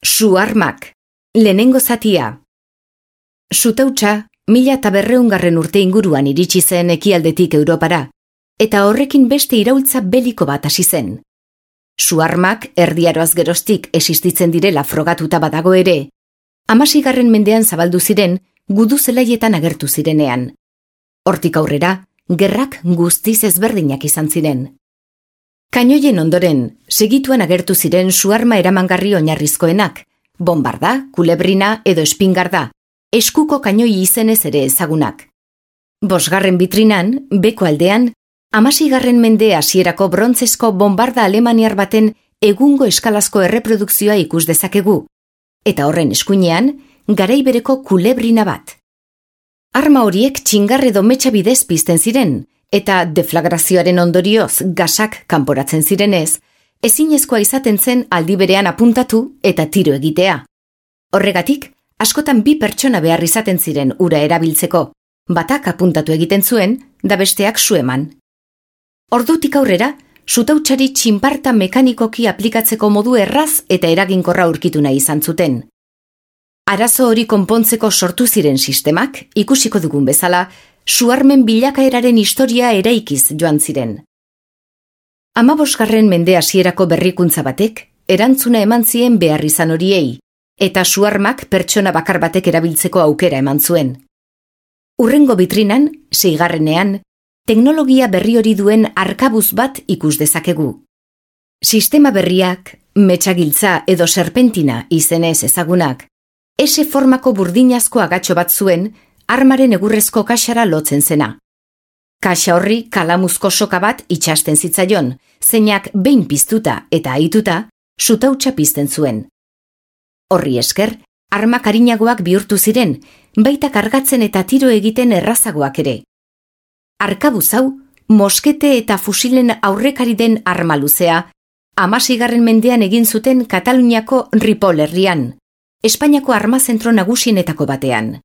Su-armak, lehenengo zatia. Sutautsa, 1200 urte inguruan iritsi zen ekialdetik Europara, eta horrekin beste iraultza beliko bat hasi zen. Su-armak erdiaroaz geroztik existitzen direla frogatuta badago ere, 16. mendean zabaldu ziren gudu zelaietan agertu zirenean. Hortik aurrera, gerrak guztiz ezberdinak izan ziren. Kainoien ondoren, segituan agertu ziren su-arma eramangarri oinarrizkoenak, bombarda, kulebrina edo espingarda, eskuko kainoi izenez ere ezagunak. 5. bitrinan, beko aldean, 16. mende hasierako brontzezko bombarda alemaniar baten egungo eskalazko erreprodukzioa ikus dezakegu, eta horren eskuinean, garai bereko kulebrina bat. Arma horiek txingar edo metxa bidez pizten ziren, eta deflagrazioaren ondorioz gasak kanporatzen zirenez, ezinezkoa izaten zen aldi berean apuntatu eta tiro egitea. Horregatik, askotan 2 pertsona behar izaten ziren ura erabiltzeko, batak apuntatu egiten zuen, da besteak su eman. Ordutik aurrera, sutautsari txinparta mekanikoki aplikatzeko modu erraz eta eraginkorra aurkitu nahi izan zuten. Arazo hori konpontzeko sortu ziren sistemak, ikusiko dugun bezala, su-armen bilakaeraren historia eraikiz joan ziren. 15. mende hasierako berrikuntza batek, erantzuna eman zien behar izan horiei, eta su-armak pertsona bakar batek erabiltzeko aukera eman zuen. Hurrengo bitrinan, 6. teknologia berri hori duen arkabuz bat ikus dezakegu. Sistema berriak, metxagiltza edo serpentina izenez ezagunak, S-formako burdinazko agatxo bat zuen, armaren egurrezko kaxara lotzen zena. Kaxa horri kalamuzko soka bat itxasten zitzaion, zeinak behin piztuta eta ahituta, sutautsa pizten zuen. Horri esker, armak arinagoak bihurtu ziren, baita kargatzen eta tiro egiten errazagoak ere. Arkabuz hau, moskete eta fusilen aurrekari den arma luzea, 16. mendean egin zuten Kataluniako Ripoll herrian, Espainiako armazentro nagusienetako batean.